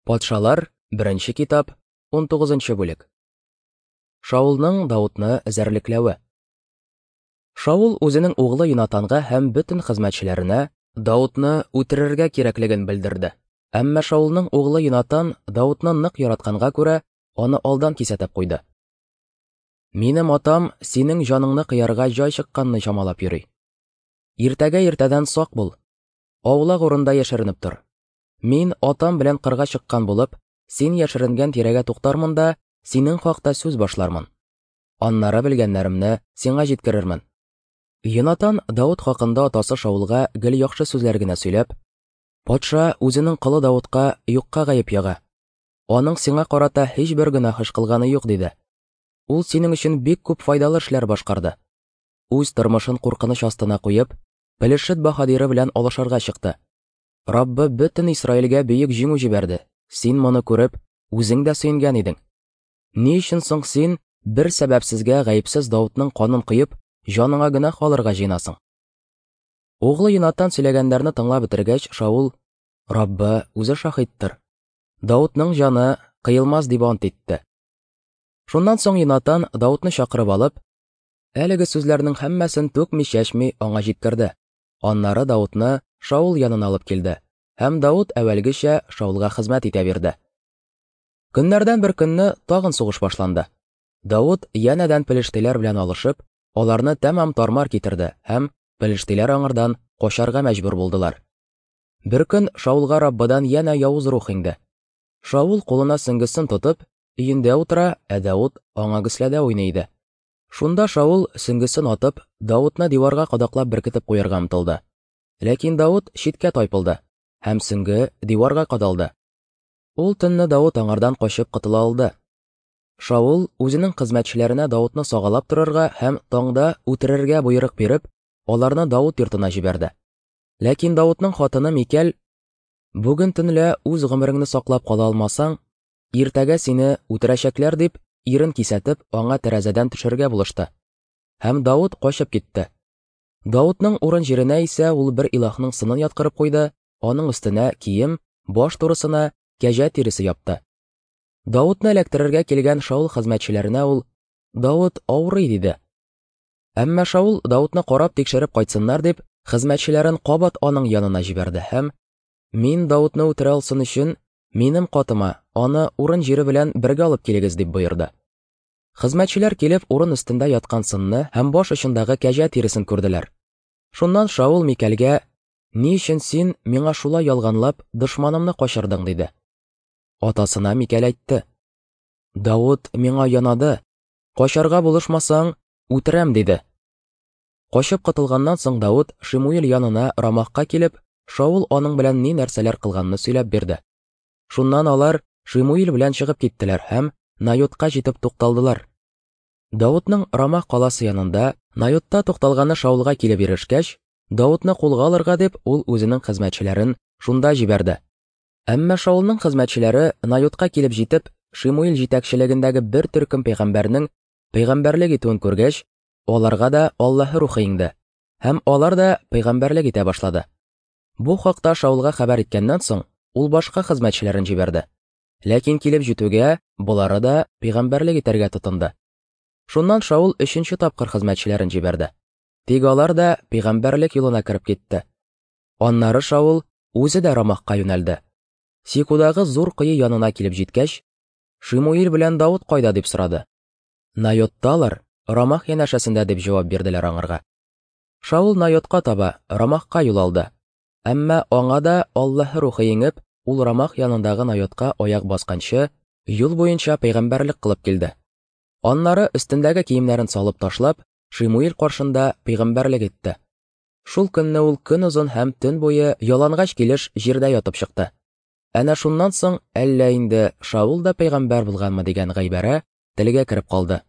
Патшалар, беренче китап, 19 бүлек. Шаулның Даутны эзәрлекләве. Шаул үзенең углы Йонатанга һәм бөтен хезмәтчеләренә Даутны үтерергә кирәклеген белдерде. Әмма Шаулның углы Йонатан Даутны нык яратканга күрә, аны алдан кисәтеп куйды. Минем атам синең җаныңны кыярга җай чыкканны чамалап йөри. Иртәгә иртәдән сак бул. Аулак урында яшеренеп тор. Мин атам белән кырга чыккан булып, син яшеренгән тирәгә туктармын да, синең хакта сүз башлармын. Аннары белгәннәремне сиңа җиткерермен. Йонатан Давыт хакында атасы Шаулга гел яхшы сүзләр генә сөйләп, патша үзенең колы Давытка юкка гаеп яга. Аның сиңа карата һичбер гөнаһ эш кылганы юк, диде. Ул синең өчен бик күп файдалы эшләр башкарды. Үз тормышын куркыныч астына куеп, Пелешет баһадиры белән алышырга чыкты. Раббы бөтен Исраилгә бөек җиңү җибәрде. Син моны күреп, үзең дә сөенгән идең. Ни өчен соң син бер сәбәпсезгә гаепсез Даутның канын коеп, җаныңа гөнаһ алырга җыенасың? Углы Йонатан сөйләгәннәрне тыңлап бетергәч, Шаул, Раббы үзе шаһиттыр. Даутның җаны кыелмас дип ант итте. Шуннан соң Йонатан Даутны чакырып алып, әлеге сүзләрнең һәммәсен түкми-чәчми аңа җиткерде. Аннары Даутны Шаул янына алып килде, һәм Даут әүвәлгечә Шаулга хезмәт итә бирде. Көннәрдән бер көнне тагын сугыш башланды. Даут янәдән пелештиләр белән алышып, аларны тәмам тармар китерде һәм пелештиләр аңардан качарга мәҗбүр булдылар. Бер көн Шаулга Раббыдан янә явыз рух иңде. Шаул кулына сөңгесен тотып, өендә утыра, ә Даут аңа гөсләдә уйный иде. Шунда Шаул сөңгесен атып, Даутны диварга кадаклап беркетеп куярга омтылды. Ләкин Даут читкә тайпылды, һәм сөңге диварга кадалды. Ул төнне Даут аңардан качып котыла алды. Шаул үзенең хезмәтчеләренә Даутны сагалап торырга һәм таңда үтерергә боерык биреп, аларны Даут йортына җибәрде. Ләкин Даутның хатыны Микәл, Бүген төнлә үз гомереңне саклап кала алмасаң, иртәгә сине үтерәчәкләр дип, ирен кисәтеп, аңа тәрәзәдән төшәргә булышты. Һәм Даут качып китте. Даутның урын җиренә исә ул бер илаһның сынын яткырып куйды, аның өстенә кием, баш турысына кәҗә тиресе япты. Даутны эләктерергә килгән Шаул хезмәтчеләренә ул, Даут авырый, диде. Әмма Шаул Даутны карап тикшереп кайтсыннар дип, хезмәтчеләрен кабат аның янына җибәрде һәм Мин Даутны үтерә алсын өчен, минем катыма аны урын җире белән бергә алып килегез, дип боерды. Хезмәтчеләр килеп, урын өстендә яткан сынны һәм баш очындагы кәҗә тиресен күрделәр. Шуннан Шаул Микәлгә, Ни өчен син миңа шулай ялганлап, дошманымны качырдың, диде. Атасына Микәл әйтте: Давыт миңа янады, качарга булышмасаң, үтерәм, диде. Качып котылганнан соң Давыт Шимуил янына Рамахка килеп, Шаул аның белән ни нәрсәләр кылганны сөйләп бирде. Шуннан алар Шимуил белән чыгып киттеләр һәм Найотка җитеп тукталдылар. Давытның Рамах каласы янында Найотта тукталганы Шаулга килеп ирешкәч, Давытны кулга алырга дип, ул үзенең хезмәтчеләрен шунда җибәрде. Әмма Шаулның хезмәтчеләре Найотка килеп җитеп, Шимуил җитәкчелегендәге бер төркем пәйгамбәрнең пәйгамбәрлек итүен күргәч, аларга да Аллаһы рухы иңде, һәм алар да пәйгамбәрлек итә башлады. Бу хакта Шаулга хәбәр иткәннән соң, ул башка хезмәтчеләрен җибәрде. Ләкин килеп җитүгә, болары да пәйгамбәрлек итәргә тотынды. Шуннан Шаул өченче тапкыр хезмәтчеләрен җибәрде. Тик алар да пәйгамбәрлек юлына кереп китте. Аннары Шаул үзе дә Рамахка юнәлде. Сикудагы зур кое янына килеп җиткәч, Шимуил белән Давыт кайда дип сорады. Найотталар, Рамах янәшәсендә дип җавап бирделәр аңарга. Шаул Найотка таба, Рамахка юл алды. Әмма аңа да Аллаһы рухы иңеп, ул Рамах янындагы Найотка аяк басканчы, юл буенча пәйгамбәрлек кылып килде. Аннары өстендәге киемнәрен салып ташлап, Шимуил каршында пәйгамбәрлек итте. Шул көнне ул көн озын һәм төн буе ялангач килеш җирдә ятып чыкты. Әнә шуннан соң әллә инде Шаул да пәйгамбәр булганмы дигән гайбәрә телгә кереп калды.